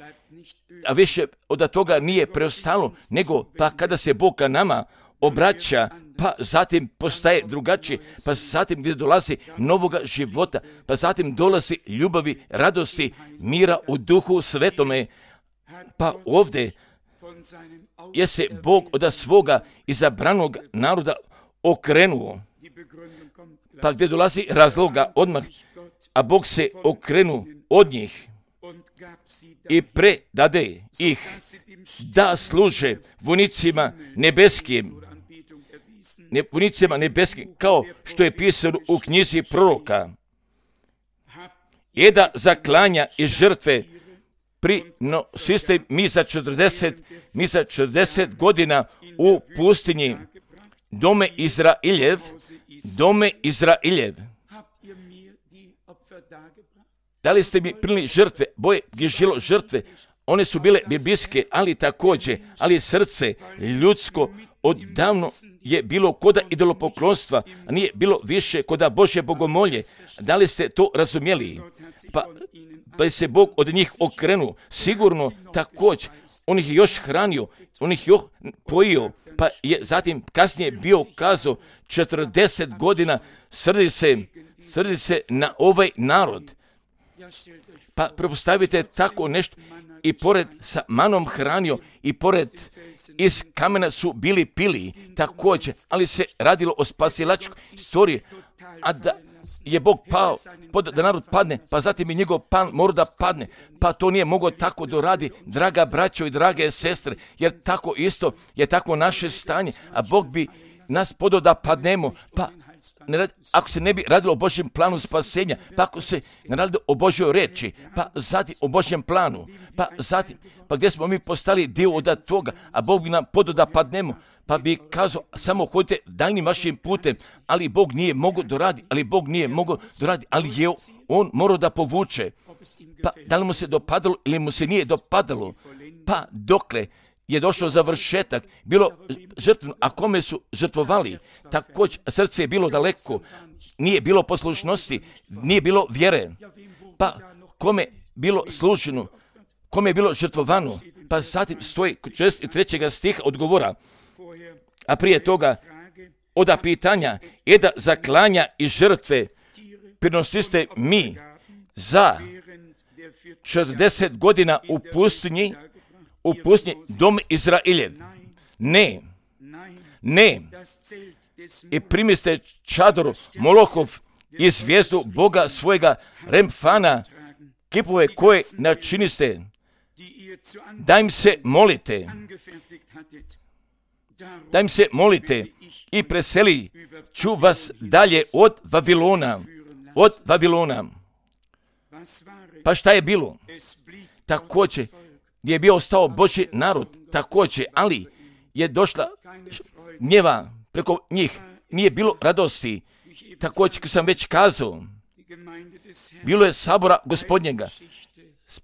a više od toga nije preostalo, nego pa kada se Bog ka nama obraća, pa zatim postaje drugačije, pa zatim gdje dolazi novoga života, pa zatim dolazi ljubavi, radosti, mira u duhu svetome. Pa ovdje je se Bog od svoga izabranog naroda okrenuo, pa gdje dolazi razloga odmah, a Bog se okrenu od njih i predade ih da služe vojnicima nebeskim, ne, vojnicima nebeskim, kao što je pisano u knjizi proroka, i da zaklanja i žrtve prinosiste mi za četrdeset, mi za četrdeset godina u pustinji, dome Izrailjev, dome Izrailjev. Da li ste mi prinijeli žrtve? Boje je žilo žrtve, one su bile biblijske, ali također, ali srce ljudsko odavno je bilo koda idolopoklonstva, a nije bilo više koda Božje bogomolje. Da li ste to razumjeli? Pa, pa se Bog od njih okrenuo, sigurno također, on ih je još hranio, on ih je pojio, pa je zatim kasnije bio kazao četrdeset godina srdi se, srdi se na ovaj narod. Pa prepostavite tako nešto, i pored sa manom hranio, i pored iz kamena su bili pili također, ali se radilo o spasilačkoj istoriji, a da je Bog pao, da narod padne, pa zatim i njegov pan mora da padne, pa to nije mogao tako doradi, draga braćo i drage sestre, jer tako isto je tako naše stanje, a Bog bi nas podao da padnemo, pa ne radi, ako se ne bi radilo o Božjem planu spasenja, pa ako se ne radilo o Božjoj reči, pa zatim o Božjem planu, pa zatim, pa gdje smo mi postali dio od toga, a Bog bi nam podao da padnemo, pa bi kazao, samo hodite daljnim vašim putem, ali Bog nije mogao doradi, ali Bog nije mogao doradi, ali je on morao da povuče. Pa da li mu se dopadalo ili mu se nije dopadalo, pa dokle je došao završetak, bilo žrtveno, a kome su žrtvovali, također srce je bilo daleko, nije bilo poslušnosti, nije bilo vjere, pa kome bilo služeno, kome je bilo žrtvovano, pa zatim stoji šezdeset trećega stiha odgovora, a prije toga oda pitanja je da zaklanja i žrtve prinosiste mi za četrdeset godina u pustinji, u pustinji dom Izraeljev. Ne, ne. I primiste čadoru Molokov i zvijezdu Boga svojega Remfana, kipove koje načiniste, da im se molite, da im se molite i preseli ću vas dalje od Vavilona, od Vavilona. Pa šta je bilo? Također gdje je bio ostao Božji narod, također, ali je došla gnjeva preko njih, nije bilo radosti. Također, kad sam već kazao, bilo je sabora Gospodnjega,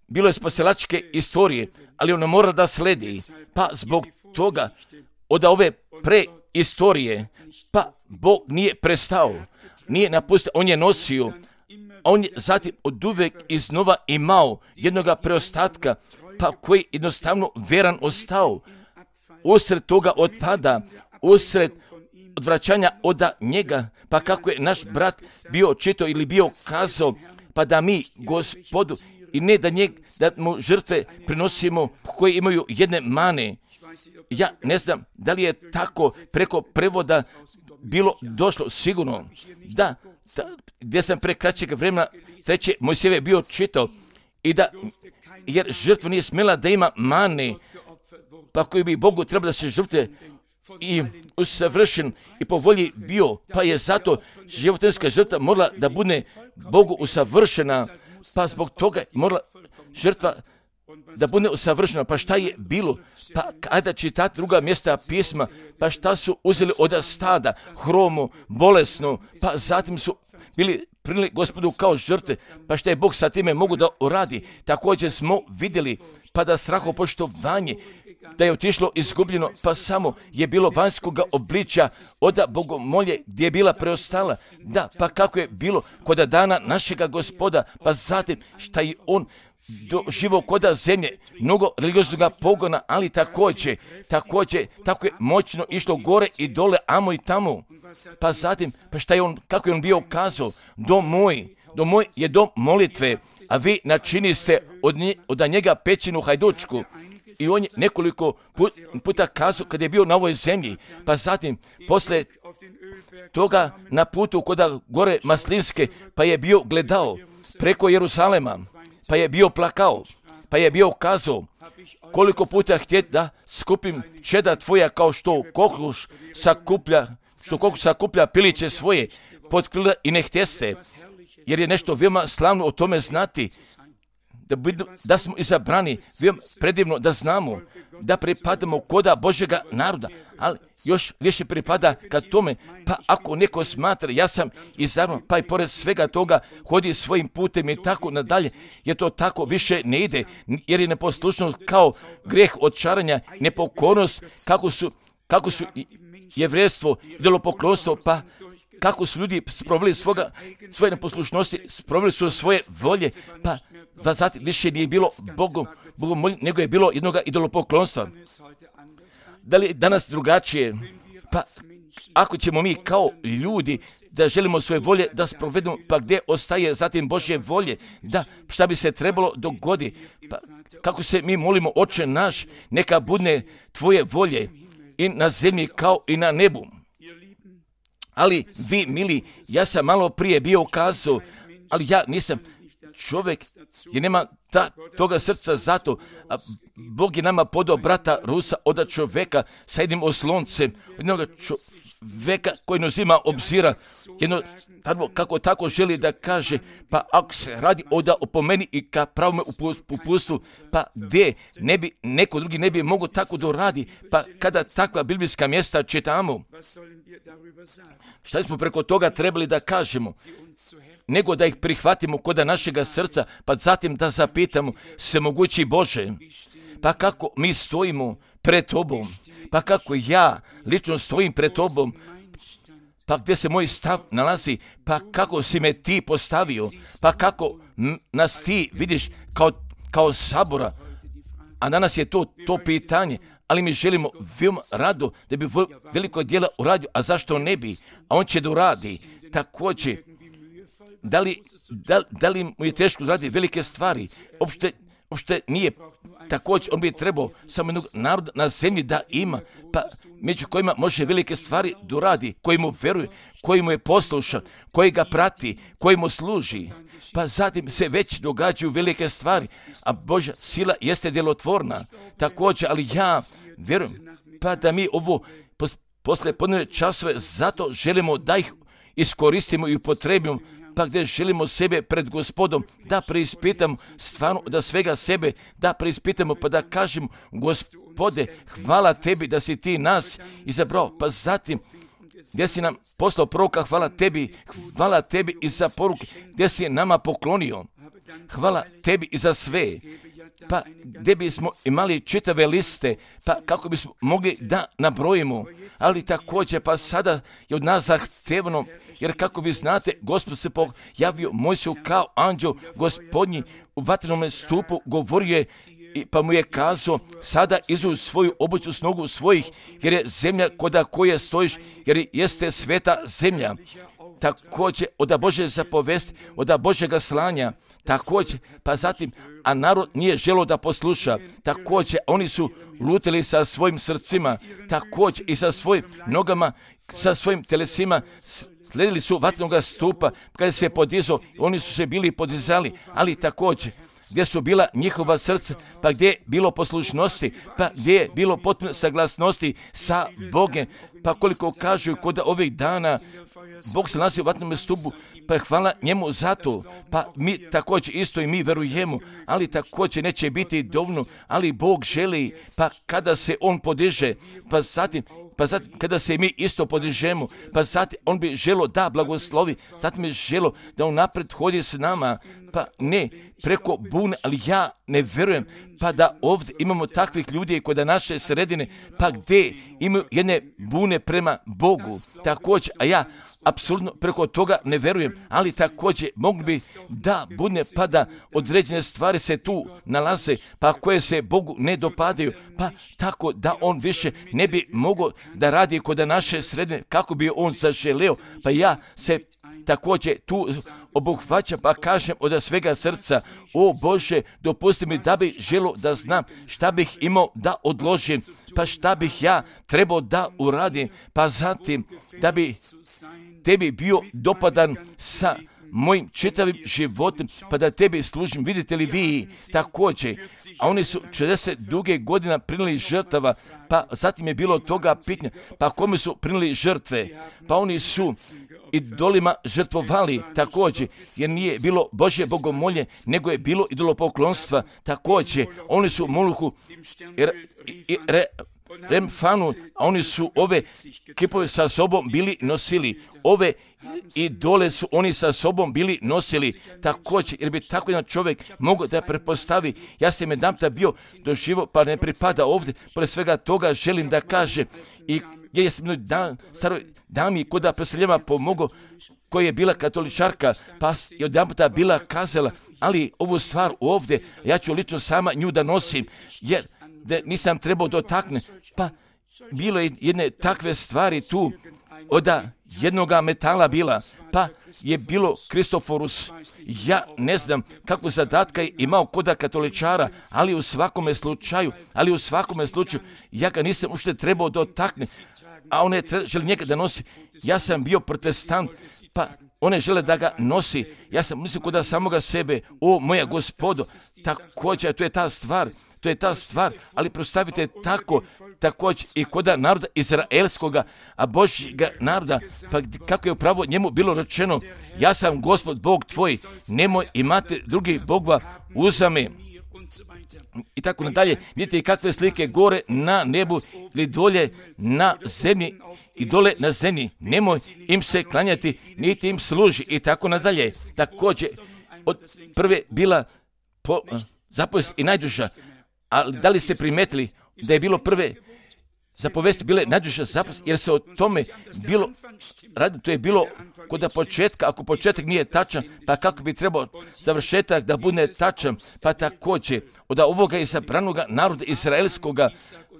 bilo je spasilačke istorije, ali ona mora da sledi. Pa zbog toga, od ove preistorije, pa Bog nije prestao, nije napustio, on je nosio, on je zatim od uvek iznova imao jednoga preostatka, pa koji jednostavno veran ostao. Usred toga otpada, usred odvraćanja od njega, pa kako je naš brat bio čito ili bio kazao, pa da mi Gospodu, i ne da, njeg, da mu žrtve prinosimo koje imaju jedne mane. Ja ne znam da li je tako preko prevoda bilo došlo, sigurno da, da gdje sam pre kraćeg vremena treće Mojsijeve bio čitao, i da, jer žrtva nije smjela da ima mane, pa koji bi Bogu trebalo da se žrtve i usavršen i po volji bio, pa je zato životinjska žrtva morala da bude Bogu usavršena, pa zbog toga morala žrtva da bude usavršena. Pa šta je bilo? Pa kada čitati druga mjesta pisma, pa šta su uzeli od stada, hromu, bolesnu, pa zatim su bili prinijeli Gospodu kao žrtve, pa šta je Bog sa time mogu da uradi. Također smo vidjeli, pa da strahopoštovanje, da je otišlo izgubljeno, pa samo je bilo vanjskoga obličja od bogomolje gdje je bila preostala. Da, pa kako je bilo kod dana našega Gospoda, pa zatim šta je on doživo koda zemlje, mnogo religioznog pogona, ali također, također, tako je moćno išlo gore i dole, amo i tamo. Pa zatim, pa šta je on, kako je on bio kazao, dom moj, dom moj je dom molitve, a vi načiniste od, nje, od njega pećinu hajdučku. I on je nekoliko puta kazao kad je bio na ovoj zemlji, pa zatim, posle toga na putu koda gore Maslinske, pa je bio gledao preko Jeruzalema, pa je bio plakao, pa je bio kazao, koliko puta htjet da skupim čeda tvoja kao što kokoš sakuplja, što kokoš sakuplja piliće svoje pod krila i ne htjeste, jer je nešto veoma slavno o tome znati, da, da smo izabrani, veoma predivno da znamo, da pripadamo koda Božjega naroda, ali još više pripada kad tome, pa ako neko smatra, ja sam izabran, pa i pored svega toga hodi svojim putem i tako nadalje, jer to tako više ne ide, jer je neposlušnost kao greh odčaranja, nepokornost, kako su, kako su jevrejstvo, idolopoklonstvo, pa kako su ljudi sproveli svoga, svoje neposlušnosti, sproveli su svoje volje, pa da zatim više nije bilo Bogom, Bogom molje, nego je bilo jednoga idolopoklonstva. Da li danas drugačije? Pa ako ćemo mi kao ljudi da želimo svoje volje da sprovedemo, pa gdje ostaje zatim Božje volje? Da, šta bi se trebalo dogoditi? Pa kako se mi molimo, Oče naš, neka bude tvoje volje i na zemlji kao i na nebu. Ali vi, mili, ja sam malo prije bio kazao, ali ja nisam čovjek, jer nema ta, toga srca zato, a Bog je nama podao brata Rusa od čovjeka sa jednim osloncem, jednog čovjeka koji ne uzima obzira, jedno, kako tako želi da kaže, pa ako se radi oda opomeni i ka pravome upustu, pa gdje ne bi, neko drugi ne bi mogo tako da radi, pa kada takva biblijska mjesta čitamo, šta smo preko toga trebali da kažemo? Nego da ih prihvatimo koda našega srca, pa zatim da zapitamo, se mogući Bože, pa kako mi stojimo pred Tobom, pa kako ja lično stojim pred Tobom, pa gdje se moj stav nalazi, pa kako si me ti postavio, pa kako nas ti vidiš kao, kao sabora, a danas je to, to pitanje, ali mi želimo veoma rado da bi veliko djela uradio, a zašto ne bi, a on će da uradi, također. Da li, da, da li mu je teško raditi velike stvari? Opšte, uopšte nije. Također, on bi trebao samo jednog naroda na zemlji da ima, pa među kojima može velike stvari doradi, koji mu veruje, koji mu je poslušan, koji ga prati, koji mu služi. Pa zatim se već događaju velike stvari, a Božja sila jeste djelotvorna. Također, ali ja vjerujem, pa da mi ovo posle podne časove zato želimo da ih iskoristimo i upotrebimo, pa gdje želimo sebe pred Gospodom, da preispitamo stvarno da svega sebe, da preispitamo pa da kažemo, Gospode, hvala tebi da si ti nas izabrao, pa zatim gdje si nam poslao proroka, hvala tebi, hvala tebi i za poruke, gdje si nama poklonio, hvala tebi i za sve. Pa gdje bismo imali čitave liste, pa kako bismo mogli da nabrojimo, ali također pa sada je od nas zahtevno, jer kako vi znate, Gospod se pojavio Mojsiju kao anđeo Gospodnji u vatrenom stupu, govorio je, pa mu je kazao, sada izu svoju obuću s nogu svojih, jer je zemlja koda koje stojiš, jer jeste sveta zemlja. Također od Božje zapovesti, od Božjega slanja, također, pa zatim, a narod nije želio da posluša, također, oni su lutili sa svojim srcima, također i sa svojim nogama, sa svojim telesima, sledili su vatrenog stupa, kada se podizao, oni su se bili podizali, ali također, gdje su bila njihova srca, pa gdje je bilo poslušnosti, pa gdje je bilo potpuno saglasnosti sa Bogom, pa koliko kažu kod ovih dana, Bog se nalazi u vatrenom stupu, pa hvala njemu za to, pa mi također isto i mi verujemo, ali također neće biti dovoljno, ali Bog želi, pa kada se on podiže, pa zatim, pa zatim kada se mi isto podižemo, pa zatim on bi želo da blagoslovi, zatim je želo da on napred hodi s nama, pa ne preko bune, ali ja ne vjerujem, pa da ovdje imamo takvih ljudi kod naše sredine, pa gdje imaju jedne bune prema Bogu, također, a ja apsolutno preko toga ne vjerujem, ali također mogli bi da bude pa da određene stvari se tu nalaze, pa koje se Bogu ne dopadaju, pa tako da on više ne bi mogao da radi kod naše sredine kako bi on zaželeo, pa ja se također tu obuhvaćam, pa kažem od svega srca, o Bože, dopusti mi da bih želio da znam šta bih imao da odložim, pa šta bih ja trebao da uradim, pa zatim da bi tebi bio dopadan sa mojim čitavim životom, pa da tebi služim. Vidite li vi također, a oni su četrdeset duge godina prinijeli žrtava, pa zatim je bilo toga pitanja, pa kome su prinijeli žrtve, pa oni su idolima žrtvovali također, jer nije bilo Božje bogomolje, nego je bilo idolopoklonstva također. Oni su Moluhu i, i re, Remfanu, a oni su ove kipove sa sobom bili nosili, ove idole su oni sa sobom bili nosili također, jer bi tako jedan čovjek mogao da prepostavi, ja sam jedanputa bio doživo, pa ne pripada ovdje, pored svega toga želim da kaže, i gdje sam jednoj dan, staroj dami koda preseljava pomogao, koja je bila katoličarka, pa je odjedanputa bila kazala, ali ovu stvar ovdje, ja ću lično sama nju da nosim, jer da nisam trebao dotaknuti, pa bilo je jedne takve stvari tu, od jednoga metala bila, pa je bilo Kristoforus. Ja ne znam kakvu zadatka je imao koda katoličara, ali u svakome slučaju, ali u svakome slučaju, ja ga nisam ušte trebao dotaknuti, a one žele njega da nosi. Ja sam bio protestant, pa one žele da ga nosi. Ja sam mislio kod samoga sebe, o moja Gospodo, također, to je ta stvar, to je ta stvar, ali predstavite tako, također i kod naroda izraelskoga, a Božjega naroda, pa kako je upravo njemu bilo rečeno, ja sam Gospod Bog tvoj, nemoj imati drugih bogova uza me. I tako nadalje, vidite kakve slike gore na nebu ili dolje na zemlji i dole na zemlji. Nemoj im se klanjati, niti im služi i tako nadalje. Također, od prve bila po, zapovest i najduža, ali da li ste primetili da je bilo prve zapovesti bile najduža zapovest, jer se o tome bilo radilo, to je bilo kod početka, ako početak nije tačan, pa kako bi trebao završetak da bude tačan, pa također od ovoga izabranoga naroda izraelskoga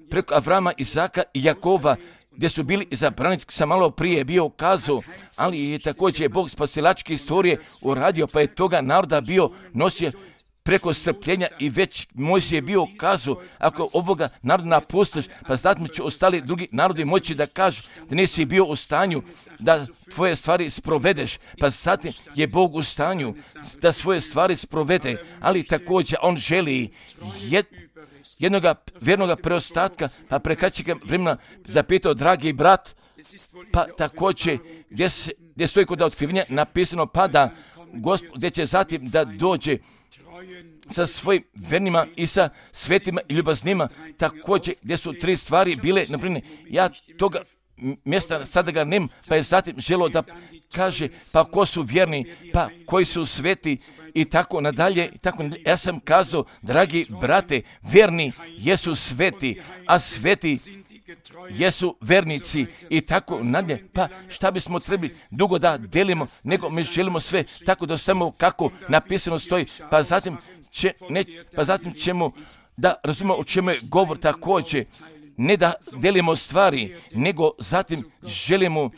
preko Avrama, Izaka i Jakova, gdje su bili izabrani, sam malo prije bio kazao, ali je također Bog spasilačke istorije uradio, pa je toga naroda bio nosio preko strpljenja i već Mojsije je bio kazao, ako ovoga naroda napustiš, pa zatim će ostali drugi narodi moći da kažu da nisi bio u stanju da tvoje stvari sprovedeš, pa zatim je Bog u stanju da svoje stvari sprovede, ali također on želi jed, jednoga vjernoga preostatka, pa prekraćega vremena zapitao dragi brat, pa također gdje, se, gdje stoji kod otkrivenja napisano, pa da Gospod, gdje će zatim da dođe sa svojim vernima i sa svetima i ljubaznima, također gdje su tri stvari bile, naprimjer, ja toga mjesta sada ga nemam, pa je zatim želo da kaže, pa ko su vjerni, pa koji su sveti i tako nadalje. I tako nadalje. Ja sam kazao, dragi brate, vjerni jesu sveti, a sveti jesu vernici i tako nadalje. Pa šta bismo trebali dugo da delimo, nego mi želimo sve tako da samo kako napisano stoji, pa zatim, će, ne, pa zatim ćemo da razumemo o čemu je govor također. Ne da delimo stvari, nego zatim želimo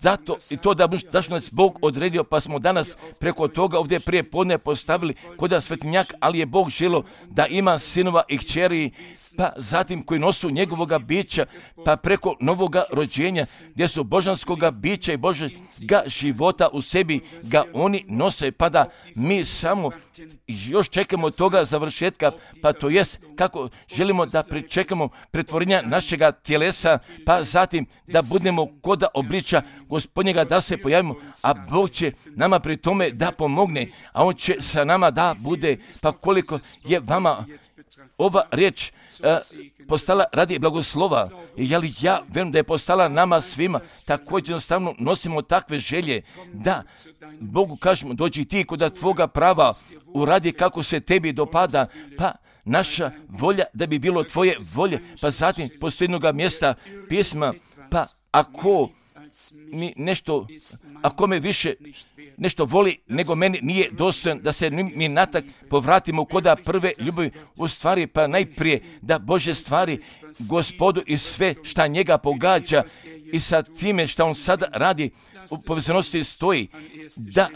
zato i to da zašto nas Bog odredio, pa smo danas preko toga ovdje prije podne postavili kod svetinjak, ali je Bog želio da ima sinova i kćeri, pa zatim koji nosu njegovoga bića, pa preko novoga rođenja, gdje su božanskoga bića i Božega života u sebi ga oni nose, pa da mi samo još čekamo toga završetka, pa to jest kako želimo da pričekamo pretvorenja našega tjelesa, pa zatim da budemo koda obliča Gospodnjega, da se pojavimo, a Bog će nama pri tome da pomogne, a On će sa nama da bude, pa koliko je vama ova riječ uh, postala radi blagoslova, jer ja vjerujem da je postala nama svima, također jednostavno nosimo takve želje, da Bogu kažemo, dođi ti kod tvoga prava, uradi kako se tebi dopada, pa naša volja da bi bilo tvoje volje, pa zatim postoji jednoga mjesta pisma, pa ako mi nešto, ako me više nešto voli nego meni nije dostojan, da se mi natak povratimo koda prve ljubavi u stvari, pa najprije da Bože stvari Gospodu i sve šta njega pogađa i sa time šta on sada radi u povezanosti stoji, da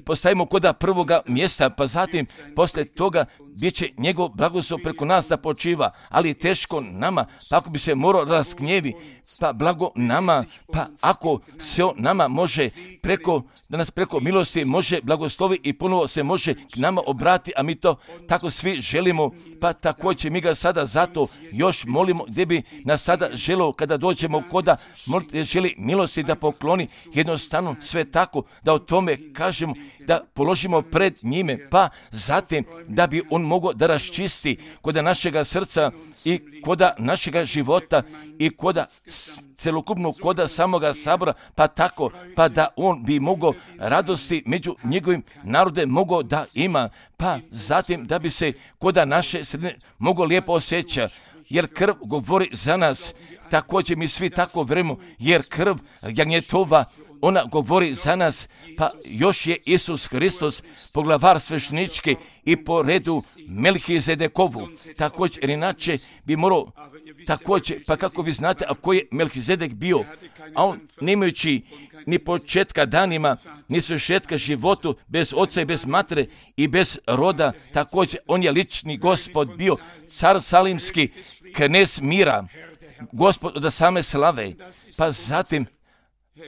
postavimo koda prvoga mjesta, pa zatim posle toga bit će njegov blagoslov preko nas da počiva, ali teško nama, pa ako bi se morao rasknjevi, pa blago nama, pa ako se on nama može preko, da nas preko milosti može blagoslovi i ponovo se može k nama obrati, a mi to tako svi želimo, pa također mi ga sada zato još molimo, gdje bi nas sada želio kada dođemo koda želi milosti da pokloni, jednostavno sve tako da o tome kažemo, da položimo pred njime, pa zatim da bi on mogao da raščisti koda našega srca i koda našega života i koda celokupno koda samoga sabora, pa tako, pa da on bi mogao radosti među njegovim narodem mogao da ima, pa zatim da bi se koda naše sredine mogao lijepo osjeća, jer krv govori za nas, također mi svi tako vjerujemo, jer krv jagnjetova, ona govori za nas, pa još je Isus Hristos poglavar svešnički i po redu Melhizedekovu. Također, jer inače bi morao, također, pa kako vi znate, a koji je Melhizedek bio, a on nemajući ni početka danima, ni svršetka životu, bez oca i bez matere i bez roda, također, on je lični Gospod bio, car salimski, knez mira, Gospod od same slave, pa zatim,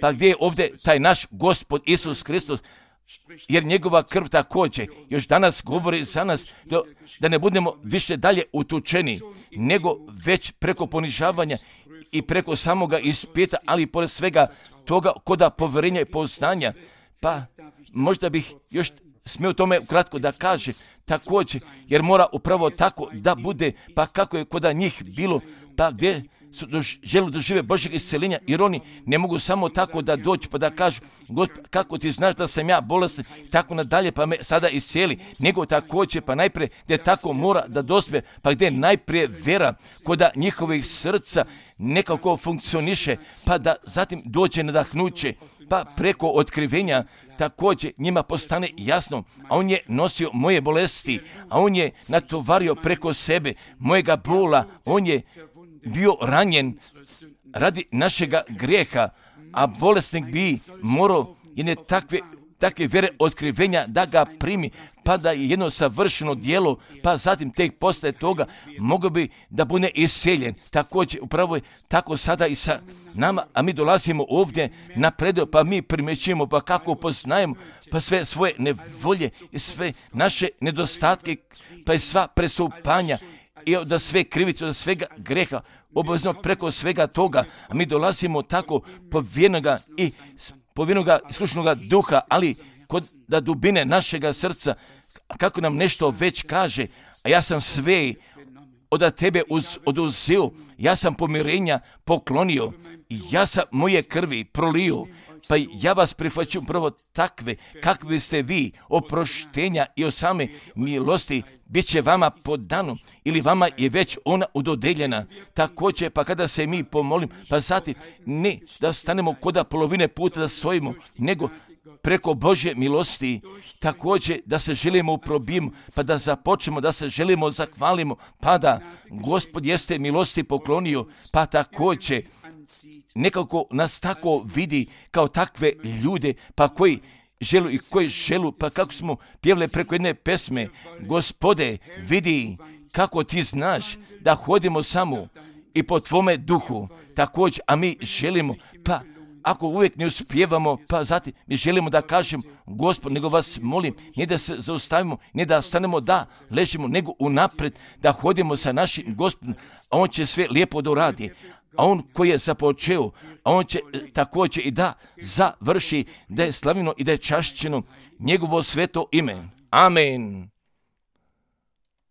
pa gdje je ovdje taj naš Gospod Isus Hristos, jer njegova krv također još danas govori za nas do, da ne budemo više dalje utučeni, nego već preko ponižavanja i preko samoga ispita, ali pored svega toga koda povjerenja i poznanja, pa možda bih još smio tome kratko da kaže također, jer mora upravo tako da bude, pa kako je koda njih bilo, pa gdje su dož, želu dožive Božjeg isceljenja, jer oni ne mogu samo tako da dođu pa da kažu, Gospod, kako ti znaš da sam ja bolestan, tako nadalje, pa me sada iscijeli, nego također, pa najprije gdje tako mora da dospije, pa gdje najprije vera koda njihovih srca nekako funkcioniše, pa da zatim dođe nadahnuće, pa preko otkrivenja također njima postane jasno, a on je nosio moje bolesti, a on je natovario preko sebe mojega bola, on je bio ranjen radi našega grijeha, a bolesnik bi morao jedne takve, takve vjere otkrivenja da ga primi pa da je jedno savršeno djelo, pa zatim tek poslije toga mogu bi da bude iseljen. Također, upravo je tako sada i sa nama, a mi dolazimo ovdje na predio, pa mi primjećujemo, pa kako poznajemo, pa sve svoje nevolje i sve naše nedostatke, pa i sva prestupanja, i da sve krivice, od svega greha, obavezno preko svega toga, a mi dolazimo tako povjerenoga i povjerenoga iskušenoga duha, ali kod da dubine našega srca, kako nam nešto već kaže, a ja sam sve od tebe uz, oduzeo, ja sam pomirenja poklonio, ja sam moje krvi prolio, pa ja vas prihvaćam prvo takve, kakvi ste vi, oproštenja i o same milosti, bit će vama podano, ili vama je već ona udodeljena. Također, pa kada se mi pomolim, pa zatim ne da stanemo koda polovine puta da stojimo, nego preko Božje milosti, također da se želimo probijemo, pa da započnemo, da se želimo zahvalimo, pa da Gospod jeste milosti poklonio, pa također nekako nas tako vidi kao takve ljude, pa koji želu i koji želu, pa kako smo pjevali preko jedne pesme, Gospode, vidi kako ti znaš da hodimo samo i po tvome duhu, također, a mi želimo, pa ako uvijek ne uspijevamo, pa zatim mi želimo da kažem, Gospod, nego vas molim, ne da se zaustavimo, ne da stanemo da ležimo, nego unaprijed da hodimo sa našim Gospodom, a on će sve lijepo doradi. A on koji je započeo, a on će također i da završi, da je slavljeno i da je čašćeno njegovo sveto ime. Amen.